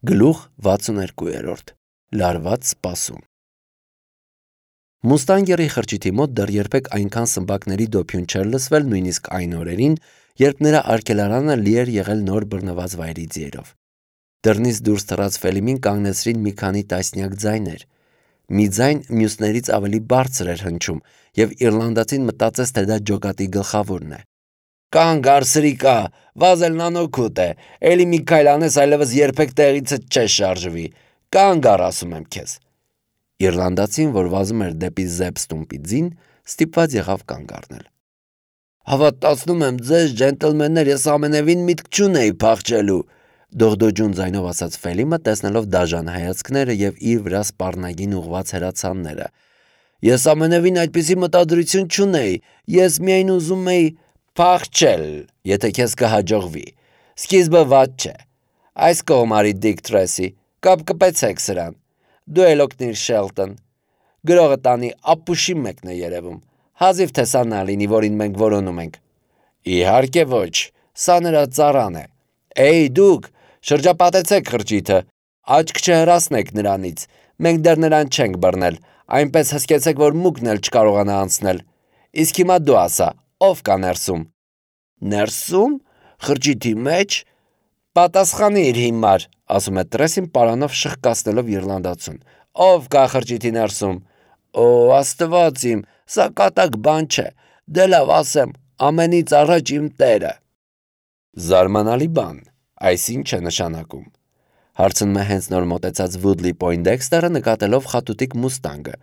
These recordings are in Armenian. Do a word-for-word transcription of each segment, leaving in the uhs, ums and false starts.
Գլուխ վաթսուներկու Լարված սպասում Մուստանգերի խրճիթի մոտ դեռ երբեք այնքան սմբակների դոփյուն չէր լսվել նույնիսկ այն օրերին, երբ նրա արգելարանը լի էր եղել նոր բռնված վայրի ձիերով։ Դռնից դուրս թռած Ֆելիմին կանգնեցրին մի քանի տասնյակ ձայներ։ Մի ձայն մյուսներից ավելի բարձր էր հնչում, եւ իռլանդացին մտածեց, թե դա ջոկատի գլխավորն է։ Կանգ առ սրիկա, վազելն անօգուտ է, էլի մի քայլ անես, այլևս երբեք տեղիցդ չես շարժվի, կանգ առ ասում եմ քեզ։ Իռլանդացին, որ վազում էր դեպի Զեբստումպի ձին, ստիպված եղավ կանգ առնել։ Հավատացնում եմ ձեզ, ջենտլմեններ, ես ամենևին միտք չունեի փախչելու, դողդոջուն ձայնով ասաց Ֆելիմը, տեսնելով դաժան հայացքները եւ իր վրա սպառնագին ուղված հրացանները։ Ես ամենևին այդպիսի մտադրություն չունեի, ես միայն ուզում էի փախչել, եթե քեզ կհաջողվի։ Սկիզբը վատ չէ։ Այս կողմարի Դիկ Թրեսի, կապ կպեցեք սրան։ Դու էլ օգնիր Շելտոն։ Գրողը տանի ապուշի մեկն է երևում։ Հազիվ թե սա նա լինի, որին մենք որոնում ենք։ Իհարկե ոչ, սա նրա ծառան է։ Էй դուք, շրջապատեցեք խրճիթը, աչք չհրացնեք նրանից, մենք դեռ նրան չենք բռնել, այնպես հսկեցեք, որ մուկն էլ չկարողանա անցնել։ Իսկ հիմա դու ասա, ով կա ներսում։ Ներսում, խրճիթի մեջ, պատասխանիր հիմար, ասում է Տրեսին պարանով շխկացնելով իռլանդացուն։ Ով կա խրճիթի ներսում։ Օ, Աստված իմ, սա կատակ բան չէ։ Դե լավ ասեմ, ամենից առաջ իմ տերը։ Զարմանալի բան, այս ինչ է նշանակում։ Հարցնում է հենց նոր մոտեցած Վուդլի Պոյնդեքստերը նկատելով խատուտիկ մուստանգը։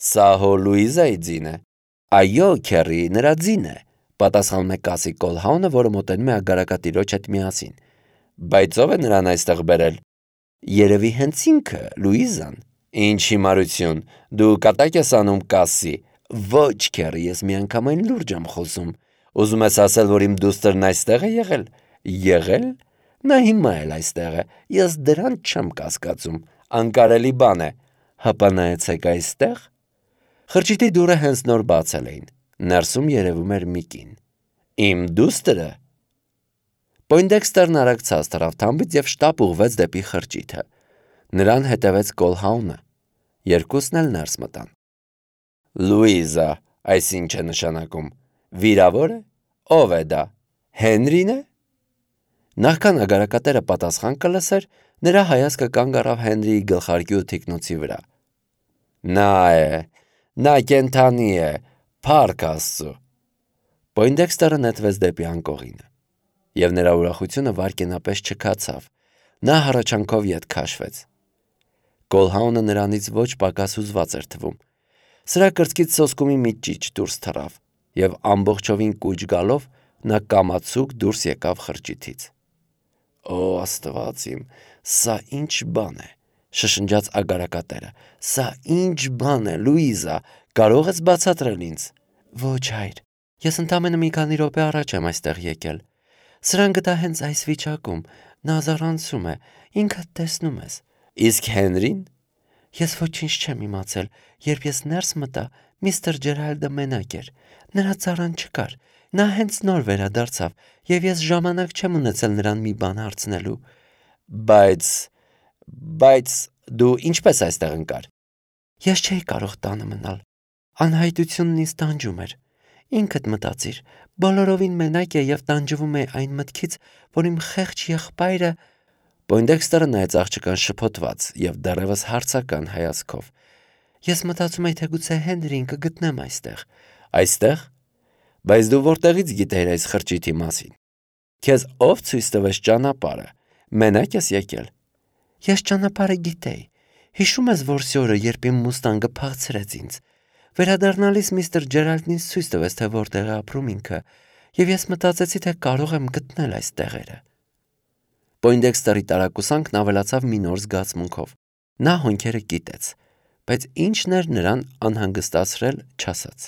Սա հո Լուիզայի ձին է։ Այո, քերի, նրա ձին է, պատասխանում է Կասի Կոլհաունը, որը մոտենում է ագարակատիրոջ հետ միասին։ Բայց ով է նրան այստեղ բերել։ Երևի հենց ինքը, Լուիզան։ Ինչ հիմարություն, դու կատակ ես անում Կասի։ Ոչ, քերի, ես միանգամայն լուրջ եմ խոսում։ Ուզում ես ասել, որ իմ դուստրն այստեղ է եղել։ Եղել։ Նա հիմա էլ այստեղ է, ես դրան չեմ կասկածում, անկարելի բան է, հապա նայեցեք այստեղ։ Խրճիթի դուռը հենց նոր բացել էին, ներսում երևում էր մի կին։ Իմ դուստրը։ Պոյնդեքստերն արագ թռավ թամբից և շտապ ուղղվեց դեպի խրճիթը, նրան հետևեց Կոլհաունը, երկուսն էլ ներս մտան։ Լուիզա, այս ինչ է նշանակում, վիրավոր է, ով է դա, Հենրին է։ Նախքան ագարակատերը պատասխան կլսեր, նրա հայացքը կանգ առավ Հենրիի գլխարկի ու թիկնոցի վրա։ Նա է, նա կենդանի է, փառք Աստծո։ Պոյնդեքստերը նետվեց դեպի անկողինը, և նրա ուրախությունը վայրկենապես չքացավ, նա հառաչանքով ետ քաշվեց։ Կոլհաունը նրանից ոչ պակաս հուզված էր թվում։ Սրա կրծքից սոսկումի մի ճիչ դուրս թռավ, և ամբողջովին կուչ գալով նա կամացուկ դուրս եկավ խրճիթից։ Օ, Աստված իմ, սա ինչ բան է, շշնջաց ագարակատերը, սա ինչ բան է, Լուիզա, կարող ես բացատրել ինձ։ Ոչ, հայր, ես ընդամենը մի քանի րոպե առաջ եմ այստեղ եկել։ Սրան գտա հենց այս վիճակում, նա զառանցում է, ինքդ տեսնում ես։ Իսկ Հենրին։ Ես ոչինչ չեմ իմացել, երբ ես ներս մտա, միստր Ջերալդը մենակ էր, նրա ծառան չկար, նա հենց նոր վերադարձավ, և ես ժամանակ չեմ ունեցել նրան մի բան հարցնելու։ Բայց, բայց դու ինչպես այստեղ ընկար։ Ես չէի կարող տանը մնալ, անհայտությունն ինձ տանջում էր։ Ինքդ մտածիր, բոլորովին մենակ է և տանջվում է այն մտքից, որ իմ խեղճ եղբայրը։ Պոյնդեքստերը նայեց աղջկան շփոթված և դեռևս հարցական հայացքով։ Ես մտածում էի, թե գուցե Հենրին կգտնեմ այստեղ։ Այստեղ։ Բայց դու որտեղից գիտեիր այս խրճիթի մասին։ Քեզ ով ցույց տվեց ճանապարհը։ Մենակ ես եկել։ Ես ճանապարհը գիտեի։ Հիշում ես որսի օրը, երբ իմ մուստանգը փախցրեց ինձ։ Վերադառնալիս միստր Ջերալդն ինձ ցույց տվեց, թե որտեղ է ապրում ինքը, և ես մտածեցի, թե կարող եմ գտնել այս տեղերը։ Պոյնդեքստերի տարակուսանքն ավելացավ մի նոր զգացմունքով։ Նա հոնքերը կիտեց, բայց ինչն էր նրան անհանգստացրել, չասաց։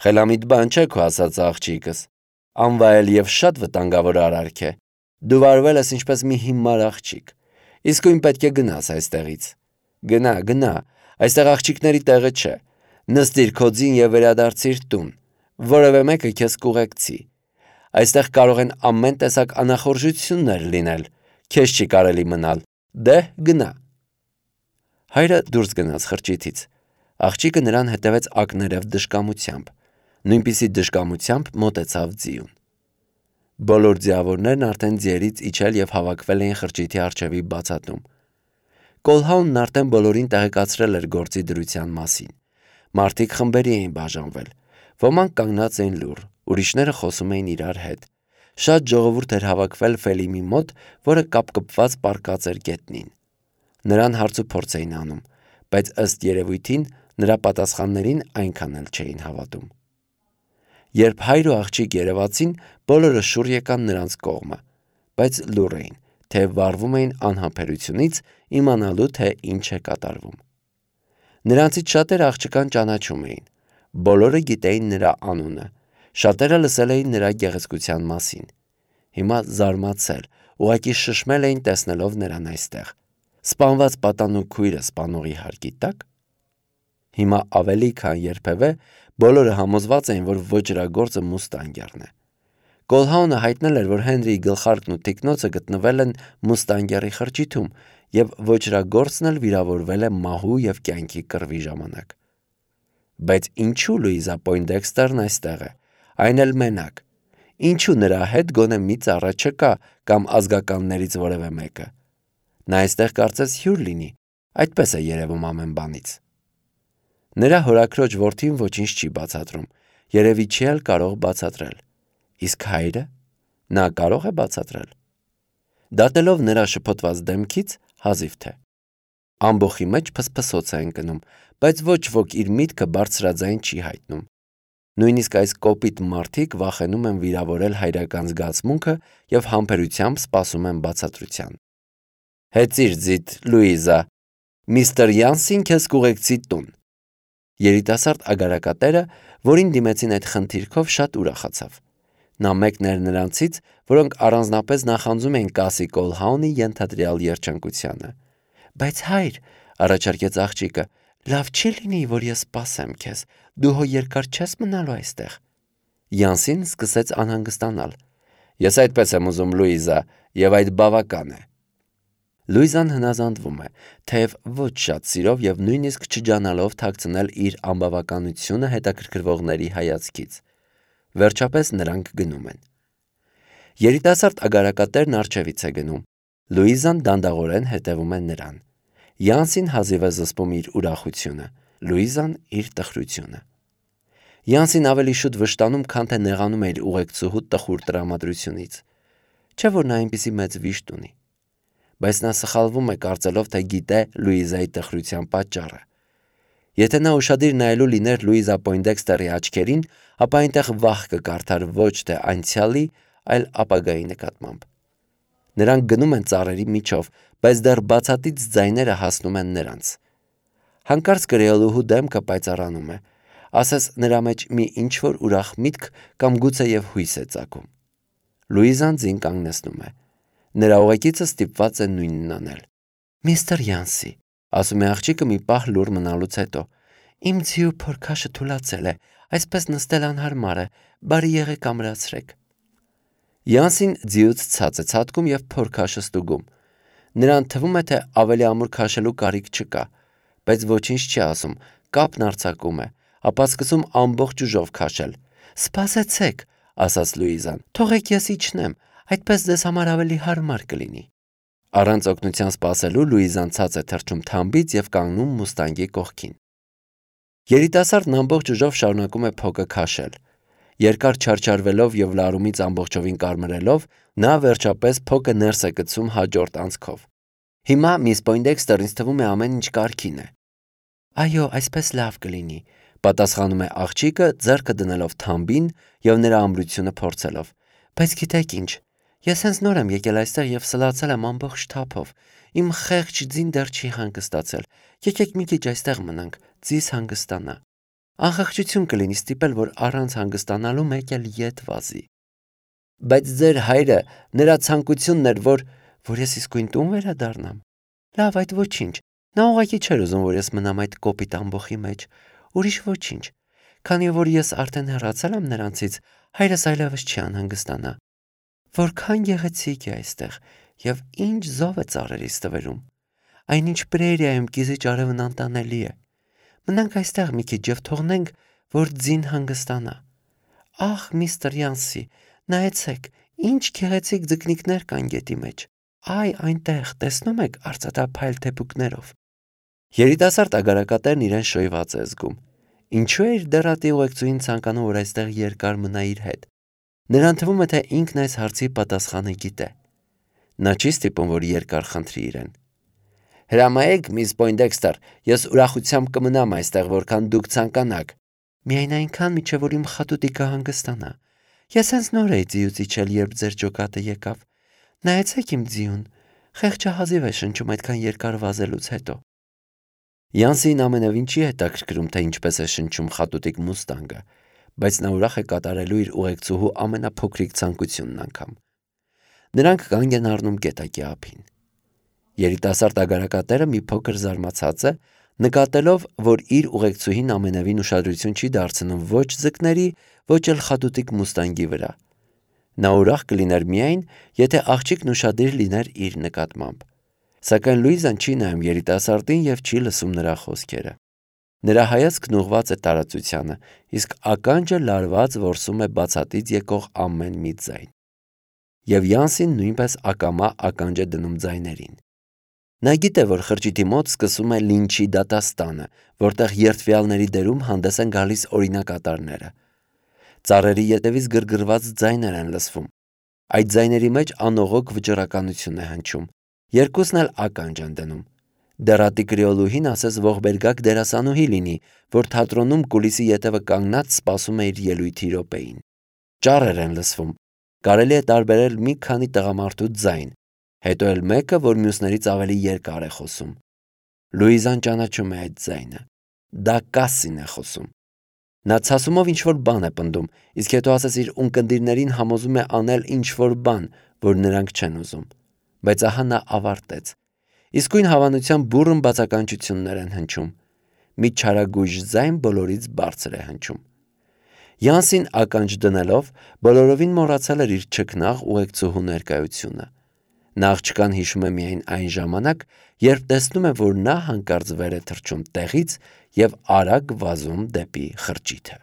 Խելամիտ բան չէ քո ասած աղջիկս, անվայել և շատ վտանգավոր արարք է։ Դու վարվել ես ինչպես մի հիմար աղջիկ։ Իսկույն պետք է գնաս այստեղից։ Գնա, գնա, այստեղ աղջիկների տեղը չէ։ Նստիր քո ձին և վերադարձիր տուն։ Որևէ մեկը քեզ կուղեկցի։ Այստեղ կարող են ամեն տեսակ անախորժություններ լինել։ Քեզ չի կարելի մնալ, դե գնա։ Հայրը դուրս գնաց խրճիթից։ Աղջիկը նրան հետևեց ակներև դժկամությամբ, նույնպիսի դժկամությամբ մոտեցավ ձիուն։ Բոլոր ձիավորներն արդեն ձիերից իջել և հավաքվել էին խրճիթի առջևի բացատում։ Կոլհաունն արդեն բոլորին տեղեկացրել էր գործի դրության մասին։ Մարդիկ խմբերի էին բաժանվել, ոմանք կանգնած էին լուռ, ուրիշները խոսում էին իրար հետ։ Շատ ժողովուրդ էր հավաքվել Ֆելիմի մոտ, որը կապկպված պառկած էր գետնին։ Նրան հարցուփորձ էին անում, բայց ըստ երևույթին նրա պատասխաններին այնքան էլ չէին հավատում։ Երբ հայր ու աղջիկ երևացին, բոլորը շուռ եկան նրանց կողմը, բայց լուռ էին, թե վարվում էին անհամբերությունից, իմանալու, թե ինչ է կատարվում։ Նրանցից շատերը աղջկան ճանաչում էին, բոլորը գիտեին նրա անունը, շատերը լսել էին նրա գեղեցկության մասին։ Հիմա զարմացել, ուղղակի շշմել էին տեսնելով նրան այստեղ։ Սպանված պատանու քույրը սպանողի հարկի տակ։ Հիմա ավելի քան երբևէ բոլորը համոզված էին, որ ոճրագործը Մուստանգերն է։ Կոլհաունը հայտնել էր, որ Հենրիի գլխարկն ու թիկնոցը գտնվել են Մուստանգերի խրճիթում, և ոճրագործն էլ վիրավորվել է մահու և կյանքի կռվի ժամանակ։ Բայց ինչու Լուիզա Պոյնդեքստերն այստեղ է, այն էլ մենակ։ Ինչու նրա հետ գոնե մի ծառա չկա կամ ազգականներից որևէ մեկը։ Նա այստեղ կարծես հյուր լինի, այդպես է երևում ամեն բանից։ Նրա հորաքրոջ որդին ոչինչ չի բացատրում, երևի չի էլ կարող բացատրել։ Իսկ հայրը, նա կարո՞ղ է բացատրել։ Դատելով նրա շփոթված դեմքից, հազիվ թե։ Ամբոխի մեջ փսփսոց է ընկնում, բայց ոչ ոք իր միտքը բարձրաձայն չի հայտնում։ Նույնիսկ այս կոպիտ մարդիկ վախենում են վիրավորել հայրական զգացմունքը և համբերությամբ սպասում են բացատրության։ Հեծիր ձիթ, Լուիզա, միստր Յանսին քեզ կուղեկցի տուն։ Երիտասարդ ագարակատերը, որին դիմեցին այդ խնդիրքով, շատ ուրախացավ։ Նա մեկն էր նրանցից, որոնք առանձնապես նախանձում էին Կասի Կոլհաունի ենթադրյալ երջանկությանը։ Բայց հայր, առաջարկեց աղջիկը, լավ չի լինի, որ ես սպասեմ քեզ, դու հո երկար չես մնալու այստեղ։ Յանսին սկսեց անհանգստանալ։ Ես այդպես եմ ուզում, Լուիզա, և այդ բավական է։ Լուիզան հնազանդվում է, թեև ոչ շատ սիրով և նույնիսկ չջանալով թաքցնել իր անբավականությունը հետաքրքրվողների հայացքից։ Վերջապես նրանք գնում են։ Երիտասարդ ագարակատերն առջևից է գնում։ Լուիզան դանդաղորեն հետևում է նրան։ Յանսին հազիվ է զսպում իր ուրախությունը, Լուիզան իր տխրությունը։ Յանսին ավելի շուտ վշտանում, քան թե նեղանում է իր ուղեկցուհու տխուր տրամադրությունից։ Չէ՞ որ նա այնպիսի մեծ վիշտ ունի։ Բայց նա սխալվում է, կարծելով, թե գիտե Լուիզայի տխրության պատճառը։ Եթե նա ուշադիր նայելու լիներ Լուիզա Պոյնդեքստերի աչքերին, ապա այնտեղ վախ կկարդար ոչ թե անցյալի, այլ ապագայի նկատմամբ։ Նրանք գնում են ծառերի միջով, բայց դեռ բացատից ձայները հասնում են նրանց։ Հանկարծ կրեոլուհու դեմքը պայծառանում է, ասես նրա մեջ մի ինչ-որ ուրախ միտք կամ գուցեև հույս է ծագում։ Լուիզան ձին կանգնեցնում է։ Նրա ուղեկիցը ստիպված է նույնն անել։ Միստր Յանսի, ասում է աղջիկը մի պահ լուռ մնալուց հետո, իմ ձիու փորքաշը թուլացել է, այսպես նստել անհարմար է, բարի եղեք ամրացրեք։ Յանսին ձիուց ցած է ցատկում և փորքաշը ստուգում։ Նրան թվում է, թե ավելի ամուր քաշելու կարիք չկա, բայց ոչինչ չի ասում, կապն արձակում է, ապա սկսում ամբողջ ուժով քաշել։ Սպասեցեք, ասաց Լուիզան, թողեք ես իջնեմ, այդպես ձեզ համար ավելի հարմար կլինի։ Առանց օգնության սպասելու Լուիզան ցած է թռչում թամբից և կանգնում Մուստանգի կողքին։ Երիտասարդն ամբողջ ուժով շարունակում է փոկը քաշել։ Երկար չարչարվելով և լարումից ամբողջովին կարմրելով, նա վերջապես փոկը ներս է գցում հաջորդ անցքով։ Հիմա միս Պոյնդեքստեր, ինձ թվում է ամեն ինչ կարգին է։ Այո, այսպես լավ կլինի, պատասխանում է աղջիկը, ձեռքը դնելով թամբին և նրա ամրությունը փորձելով։ Բայց գիտեք ինչ, ես հենց նոր եմ եկել այստեղ և սլացել եմ ամբողջ թափով։ Իմ խեղճ ձին դեռ չի հանգստացել։ Եկեք մի քիչ այստեղ մնանք, ձիզ հանգստանա։ Անխղճություն կլինի ստիպել, որ առանց հանգստանալու մեկ էլ ետ վազի։ Բայց ձեր հայրը, նրա ցանկությունն էր, որ որ ես իսկույն տուն վերադառնամ։ Լավ, այդ ոչինչ։ Նա ուղղակի չէր ուզում, որ ես մնամ այդ կոպիտ ամբոխի մեջ։ Ուրիշ ոչինչ։ Քանի որ ես արդեն հեռացել եմ նրանցից, հայրս այլևս չի անհանգստանա։ Որքան գեղեցիկ է այստեղ։ Եվ ինչ զով է ծառերից տվերում։ Այնինչ պրերիայում կիզիչ արևն անտանելի է։ Մնանք այստեղ մի քիչ եւ թողնենք, որ ձին հանգստանա։ Ահ, միստր Յանսի, նայեցեք, ինչ գեղեցիկ ձկնիկներ կան գետի մեջ։ Այ այնտեղ, տեսնում եք արծաթափայլ թեփուկներով։ Երիտասարդ ագարակատերն իրեն շոյված է զգում։ Ինչու է իր դեռատի ուղեկցուին ցանկանում, որ այստեղ երկար մնա իր հետ։ Նրան թվում է, թե ինքն այս հարցի պատասխանը գիտե։ Նա չի ստիպում, որ երկար խնդրի իրեն։ Հրամայեք, միս Պոյնդեքստեր, ես ուրախությամբ կմնամ այստեղ, որքան դուք ցանկանաք։ Միայն այնքան, մինչև որ իմ խատուտիկը հանգստանա։ Ես հենց նոր էի ձիուց իջել, երբ ձեր ջոկատը եկավ։ Նայեցեք իմ ձիուն, խեղճը հազիվ է շնչում այդքան երկար վազելուց հետո։ Յանսին ամենևին չի հետաքրքրում, թե ինչպես է շնչում խատուտիկ մուստանգը, բայց նա ուրախ է կատարելու իր ուղեկցուհու ամենափոքրիկ ցանկությունն անգամ։ Նրանք կանգ են առնում գետակի ափին։ Երիտասարդ ագարակատերը մի փոքր զարմացած է, նկատելով, որ իր ուղեկցուհին ամենևին ուշադրություն չի դարձնում ոչ ձկների, ոչ էլ խատուտիկ մուստանգի վրա։ Նա ուրախ կլիներ միայն, եթե աղջիկն ուշադիր լիներ իր նկատմամբ։ Սակայն Լուիզան չի նայում երիտասարդին եւ չի լսում նրա խոսքերը։ Նրա հայացքն ուղղված է տարածությանը, իսկ ականջը լարված որսում է բացատից եկող ամեն մի ձայն։ Եվ Յանսին նույնպես ակամա ականջ է դնում ձայներին։ Նա գիտե, որ խրճիթի մոտ սկսում է լինչի դատաստանը, որտեղ երդվյալների դերում հանդես են գալիս օրինակատարները։ Ծառերի ետևից գրգռված ձայներ են լսվում։ Այդ ձայների մեջ անողոք վճռականություն է հնչում։ Երկուսն էլ ականջ են դնում։ Դեռատի կրիոլուհին ասես ողբերգակ դերասանուհի լինի, որ թատրոնում կուլիսի ետևը կանգնած սպասում է իր ելույթի րոպեին։ Ճառեր են լսվում։ Կարելի է տարբերել մի քանի տղամարդու ձայն, հետո էլ մեկը, որ մյուսներից ավելի երկար է խոսում։ Լուիզան ճանաչում է այդ ձայնը։ Դա Կասսին է խոսում։ Նա ցասումով ինչ-որ բան է պնդում, իսկ հետո ասես իր ունկնդիրներին համոզում է անել ինչ-որ բան, որ նրանք չեն ուզում։ Բայց ահա նա ավարտեց։ Իսկույն հավանության բուռն բացականչություններ են հնչում։ Մի չարագույժ ձայն բոլորից բարձր է հնչում։ Յանսին ականջ դնելով բոլորովին մոռացել էր իր չքնաղ ուղեկցուհու ներկայությունը։ Նա աղջկան հիշում է միայն այն ժամանակ, երբ տեսնում է, որ նա հանկարծ վեր է թռչում տեղից և արագ վազում դեպի խրճիթը։